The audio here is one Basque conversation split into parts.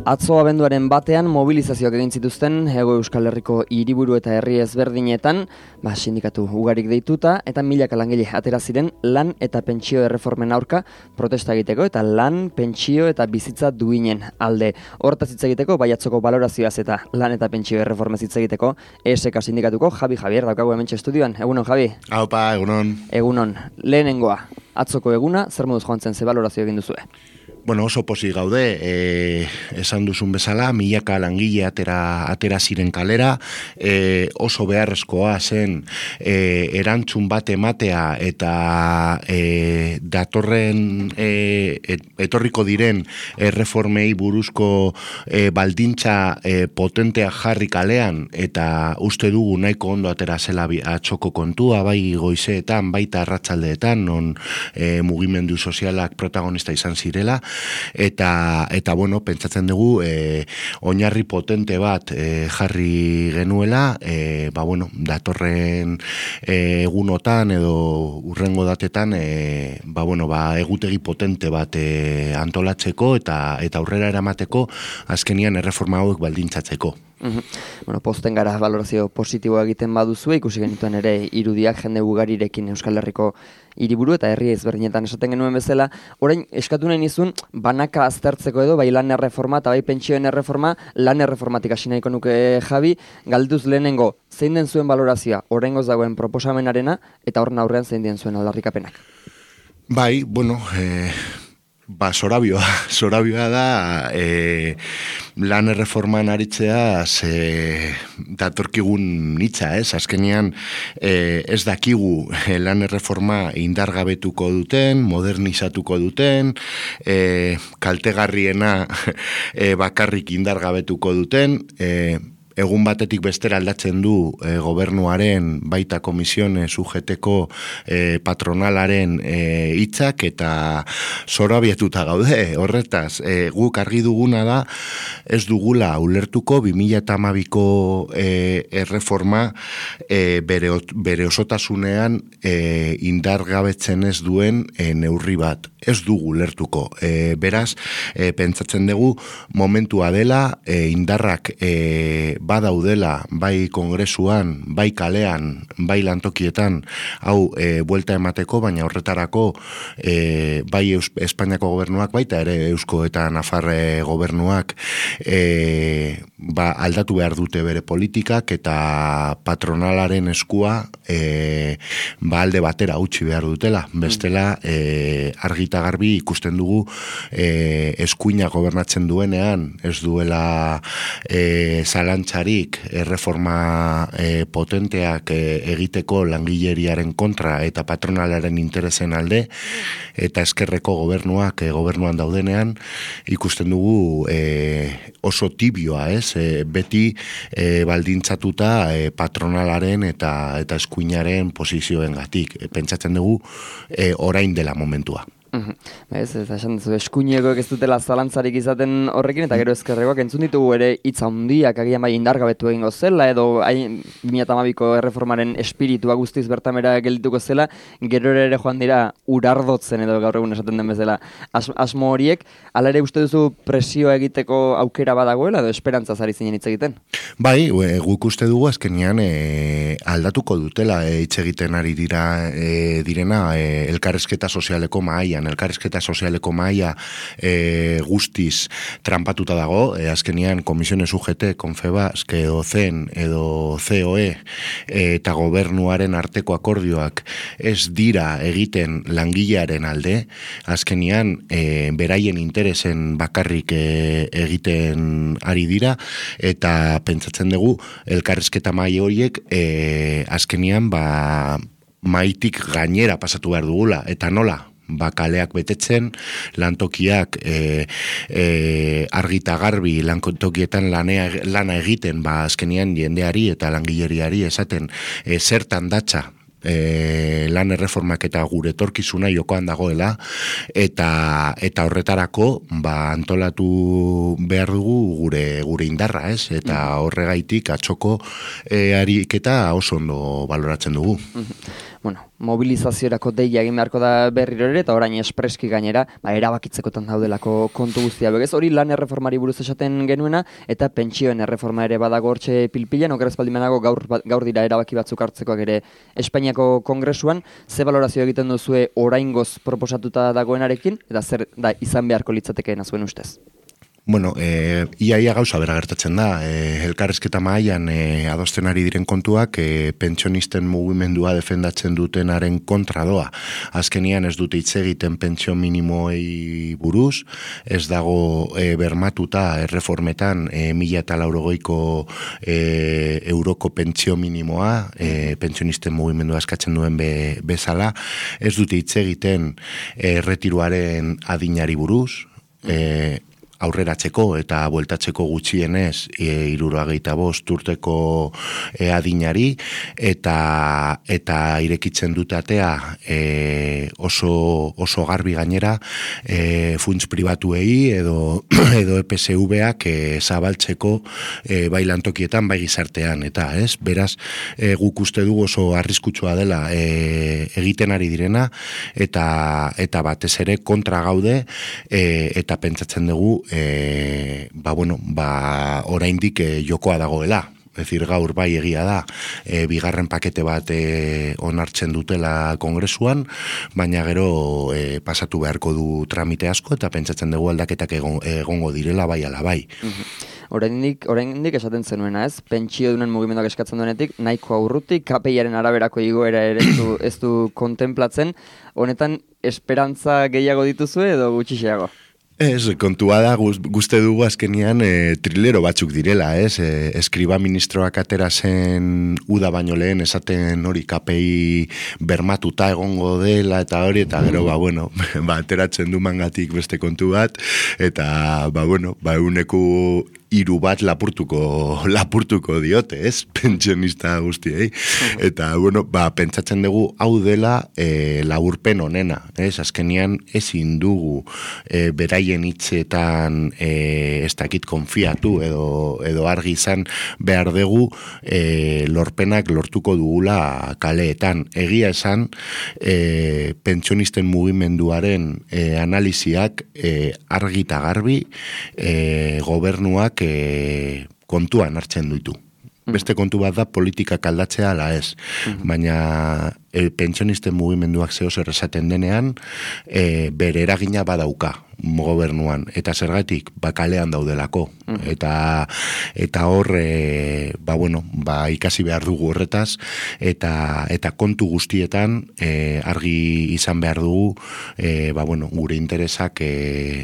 Atzo abenduaren batean mobilizazioak egin zituzten Hego Euskal Herriko hiriburu eta herri ezberdinetan, sindikatu ugarik deituta eta milaka langile atera ziren lan eta pentsio erreformen aurka protesta egiteko eta lan, pentsio eta bizitza duinen alde. Hortaz hitz egiteko baiatzoko balorazioaz eta lan eta pentsio erreformez hitz egiteko ESK sindikatuko Javier daukagu hementxe estudioan. Egunon, Javi? Aupa, egunon. Egunon. Lehenengoa, atzoko eguna, zer moduz joan zen, ze balorazio egin duzue? Bueno, oso pozik gaude, esan duzun bezala, milaka langile atera ziren kalera, oso beharrezkoa zen erantzun bat ematea eta datorren etorriko diren erreformei buruzko baldintza potentea jarri kalean, eta uste dugu nahiko ondo atera zela atxoko kontua, bai goizeetan, baita arratsaldeetan, non mugimendu sozialak protagonista izan zirela, eta bueno, pentsatzen dugu oinarri potente bat jarri genuela, bueno, datorren egunotan edo urrengo datetan bueno, egutegi potente bat antolatzeko eta aurrera eramateko azkenian erreforma hauek baldintzatzeko. Bueno, posten gara valorazio positiboa egiten baduzu, ikusi genituen ere irudiak jende ugarirekin Euskal Herriko hiriburu eta herri ezberdinetan esaten genuen bezala. Orain eskatu nahi nizun banaka aztertzeko edo, bai lan erreforma eta bai pentsioen erreforma, lan erreformatik hasi nahiko nuke Javi, galduz lehenengo, zein den zuen valorazioa, oraingoz dagoen proposamenarena eta horren aurrean zein den zuen aldarrikapenak? Bai, bueno, zorabioa da lan erreforman aritzea datorkigun hitza, azkenean ez dakigu lan erreforma indargabetuko duten, modernizatuko duten, kaltegarriena bakarrik indargabetuko duten, egun batetik bestera aldatzen du gobernuaren baita komisione sujeteko patronalaren hitzak eta zorabiatuta gaude. Horretaz, guk argi duguna da ez dugula ulertuko 2012ko erreforma bere osotasunean indargabetzen ez duen neurri bat. Ez dugu ulertuko. Beraz, pentsatzen dugu momentua dela, indarrak badaudela, bai kongresuan, bai kalean, bai lantokietan, hau buelta emateko, baina horretarako bai Espainiako gobernuak, baita ere Eusko eta Nafarre gobernuak aldatu behar dute bere politikak eta patronalaren eskua alde batera utzi behar dutela. Bestela, argita garbi ikusten dugu eskuina gobernatzen duenean, ez duela zalantzarik erreforma potenteak egiteko langileriaren kontra eta patronalaren interesen alde, eta eskerreko gobernuak gobernuan daudenean ikusten dugu oso tibioa, beti baldintzatuta patronalaren eta eskuinaren posizioengatik. Pentsatzen dugu orain dela momentua. Ez esan duzu, eskuinekoek ez dutela zalantzarik izaten horrekin, eta gero ezkerrekoak entzun ditugu ere hitz handiak agian bai indargabetu egingo zela, edo 2012ko erreformaren espiritua guztiz bertamera geldituko zela, gero ere joan dira urardotzen edo gaur egun esaten den bezala asmo horiek. Hala ere uste duzu presioa egiteko aukera badagoela edo esperantzaz ari zinen hitz egiten? Bai, guk uste dugu azkenean aldatuko dutela hitz egiten ari direna elkarrizketa sozialeko mahaian. Elkarrizketa sozialeko mahaia guztiz trampatuta dago, azkenean komisione sujete, Confebask edo CEN edo COE eta gobernuaren arteko akordioak ez dira egiten langilearen alde, azkenean beraien interesen bakarrik egiten ari dira, eta pentsatzen dugu elkarrizketa mahaia horiek azkenean maitik gainera pasatu behar dugula, eta nola? Kaleak betetzen, lantokiak argita garbi lantokietan lana egiten, azkenean jendeari eta langileriari esaten zertan datza lan erreformak eta gure etorkizuna jokoan dagoela, eta horretarako antolatu behar dugu gure indarra, eta horregaitik atxoko ariketa oso ondo baloratzen dugu. mobilizaziorako deia egin beharko da berriro ere, eta orain espreski gainera, erabakitzekotan daudelako kontu guztia. Begez, hori lan erreformari buruz esaten genuena, eta pentsioen erreforma ere badago hortxe pilpilan, okeraz baldimanago gaur dira erabaki batzuk hartzekoak ere Espainiako Kongresuan, ze balorazio egiten duzue oraingoz proposatuta dagoenarekin, eta zer da izan beharko litzatekeen zuen ustez? Bueno, iaia gauza bera gertatzen da, elkarrezketa mahaian adosten ari diren kontuak pentsionisten mugimendua defendatzen dutenaren kontra doa. Azkenian ez dute hitz egiten pentsio minimoei buruz, ez dago bermatuta erreformetan 1.080 euroko pentsio minimoa, pentsionisten mugimendua eskatzen duen bezala, ez dute hitz egiten retiruaren adinari buruz, aurreratzeko eta bueltatzeko gutxienez 75 urteko adinari eta irekitzen dute atea oso garbi gainera funts pribatuei edo EPSV-ak zabaltzeko bai lantokietan bai gizartean eta beraz guk uste dugu oso arriskutsua dela egiten ari direna eta batez ere kontra gaude eta pentsatzen dugu oraindik jokoa dagoela. Ez decir, gaur bai egia da, bigarren pakete bat onartzen dutela Kongresuan, baina gero pasatu beharko du tramite asko eta pentsatzen dugu aldaketak egongo direla bai ala bai. Oraindik esaten zenuena, ez? Pentsio dunen mugimenduak eskatzen duenetik, nahiko urrutik, KPI-aren araberako igoera ere ez du kontemplatzen, honetan esperantza gehiago dituzue edo gutxixeago? Ez, kontua da, guzti dugu azkenian trilero batzuk direla, ez? Eskriba ministroak atera zen uda baino lehen esaten hori KPI bermatuta egongo dela eta hori, eta gero, ateratzen du mangatik beste kontu bat, eta, euneko 3 bat lapurtuko diote, ez? Pentsionista guztiei. Eta, pentsatzen dugu hau dela laburpen honena, ez? Azkenian ezin dugu beraien hitzetan ez dakit konfiatu edo argi izan behar dugu lorpenak lortuko dugula kaleetan. Egia esan pentsionisten mugimenduaren analiziak argi eta garbi gobernuak kontuan hartzen ditu. Beste kontu bat da politikak aldatzea ala ez, baina pentsionisten mugimenduak zer esaten denean bere eragina badauka gobernuan, eta zergatik kalean daudelako, eta hor ikasi behar dugu horretaz, eta kontu guztietan argi izan behar dugu gure interesak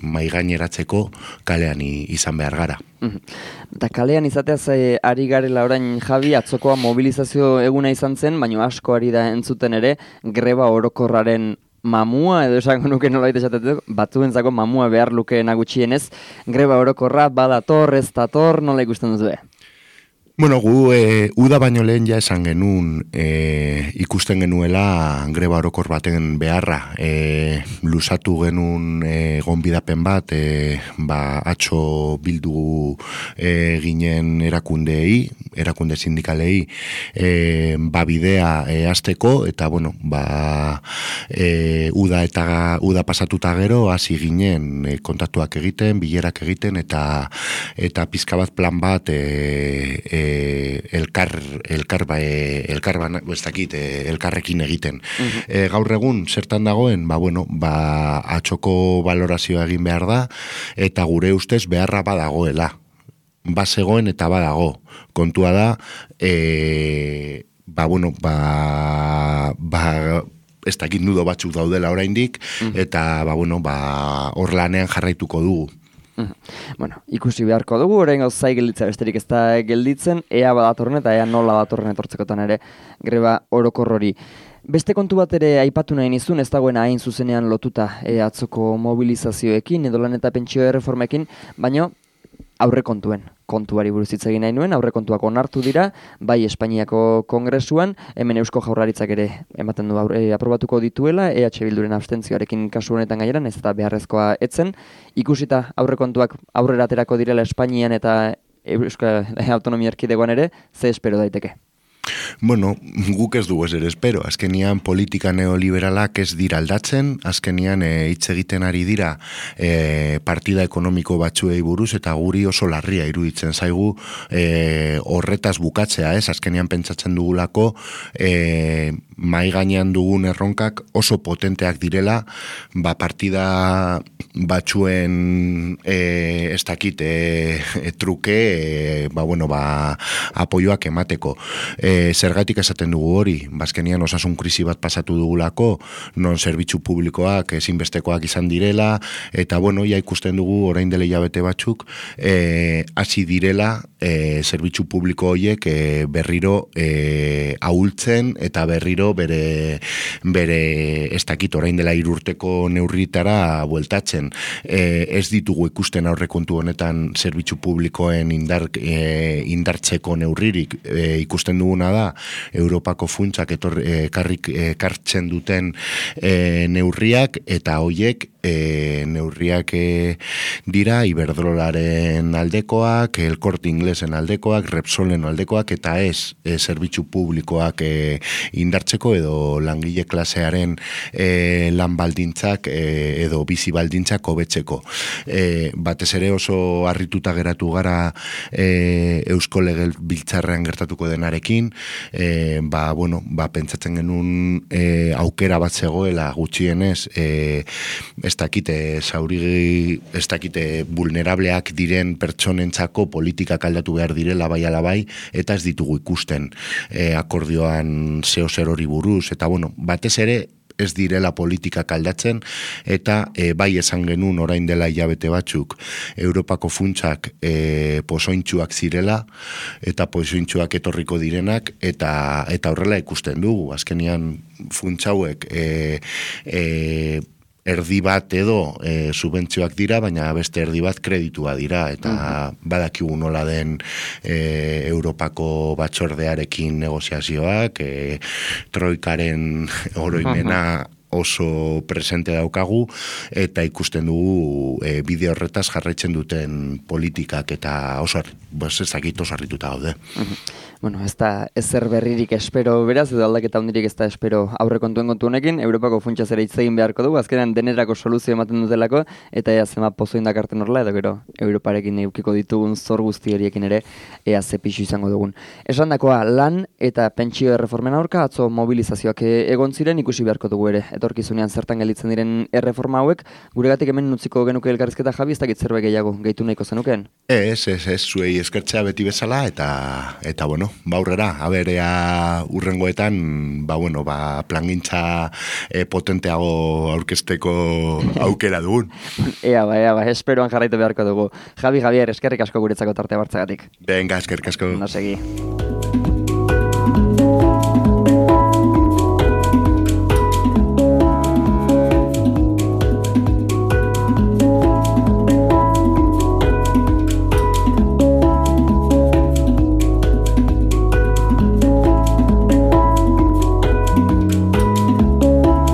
maigaineratzeko kalean izan behar gara. Eta kalean izateaz ari garela orain, Javi, atzokoa mobilizazio eguna izan zen, baina asko ari da entzuten ere greba orokorraren mamua, edo esango nuke nolabait esatetu, batzuentzako mamua behar lukeena gutxienez, greba orokorra badator, ez dator, nola ikusten duzu? Bueno, gu uda baino lehen ja esan genuen ikusten genuela greba orokor baten beharra. Luzatu genuen gonbidapen bat, atzo bildu ginen erakunde sindikalei bidea hasteko, eta uda pasatuta gero hasi ginen kontaktuak egiten, bilerak egiten, eta pizka bat plan bat elkarrekin egiten. Gaur egun zertan dagoen, atxoko valorazioa egin behar da, eta gure ustez beharra badagoela. Bazegoen eta badago. Kontua da, ez dakit nudo batzuk daudela oraindik, eta hor lanean jarraituko dugu. Ikusi beharko dugu, orain gauzai gelditza besterik ez da gelditzen, ea badatorren eta ea nola datorren etortzekotan ere greba orokor hori. Beste kontu bat ere aipatu nahi nizun, ez dagoena hain zuzenean lotuta atzoko mobilizazioekin, edo lan eta pentsio erreformekin, baina aurrekontuen kontuari buruz hitz egin nahi nuen, aurrekontuak onartu dira, bai Espainiako Kongresuan, hemen Eusko Jaurlaritzak ere ematen du aprobatuko dituela, EH Bilduren abstentzioarekin kasu honetan gaineran, ez eta beharrezkoa etzen, ikusita aurrekontuak aurrera aterako direla Espainian eta Euskal Autonomia Erkidegoan ere, ze espero daiteke? Bueno, guk ez dugu ere espero. Azkenian politika neoliberalak ez dira aldatzen, azkenian hitz egiten ari dira partida ekonomiko batzuei buruz, eta guri oso larria iruditzen zaigu horretaz bukatzea, ez? Azkenian pentsatzen dugulako mai gainean dugun erronkak oso potenteak direla, partida batzuen ez dakit truke apoioak emateko. Zergatik esaten dugu hori, bazkenian osasun krisi bat pasatu dugulako, non zerbitzu publikoak ezinbestekoak izan direla, eta ja ikusten dugu orain dela hilabete batzuk, hasi direla zerbitzu publiko horiek berriro ahultzen, eta berriro bere ez dakit orain dela 3 urteko neurritara bueltatzen. Ez ditugu ikusten aurrekontu honetan zerbitzu publikoen indartzeko neurririk. Ikusten duguna da Europako funtsak ekartzen duten neurriak, eta hoiek neurriak dira Iberdrolaren aldekoak, El Corte Inglesen aldekoak, Repsolen aldekoak, eta ez zerbitzu publikoak indartzeko edo langile klasearen lan baldintzak edo bizi baldintzak hobetzeko. Batez ere oso harrituta geratu gara Eusko Legebiltzarrean gertatuko denarekin, pentsatzen genuen aukera bat zegoela gutxienez ez dakite vulnerableak diren pertsonentzako politikak aldatu behar direla bai ala bai, eta ez ditugu ikusten akordioan zer hori buruz, eta batez ere ez direla politikak aldatzen, eta bai esan genuen orain dela hilabete batzuk Europako funtsak pozointxuak zirela, eta pozointxuak etorriko direnak, eta horrela ikusten dugu. Azkenian funtsauek erdi bat edo subentzioak dira, baina beste erdi bat kreditua dira, eta badakigu nola den Europako batzordearekin negoziazioak, troikaren oroimena oso presente daukagu, eta ikusten dugu bide horretaz jarraitzen duten politikak, eta oso harrituta gaude. Ez da ezer berririk espero beraz, edo aldaketa hundirik ez da espero aurrekontuen kontu honekin, Europako funtsa zera hitz egin beharko dugu, azkenean denerako soluzio ematen dutelako, eta ea zema pozo indakarten horrela, edo gero Europarekin eukiko ditugun zor guzti horiekin ere, ea ze pixu izango dugun. Esandakoa, lan eta pentsio erreformen aurka, atzo mobilizazioak egon ziren, ikusi beharko dugu ere, etorkizunean zertan gelditzen diren erreforma hauek, guregatik hemen nutziko genuke elkarrizketa, Javi, ez dakit zerbait gehiago gehitu nahiko zenukeen? Ez, zuei eskertzea beti bezala, eta aurrera, ea urrengoetan, plangintza potenteago aurkezteko aukera dugun. Ea, esperoan jarraitu beharko dugu. Javier, eskerrik asko guretzako tartea bartzagatik. Venga, eskerrik asko. No segi.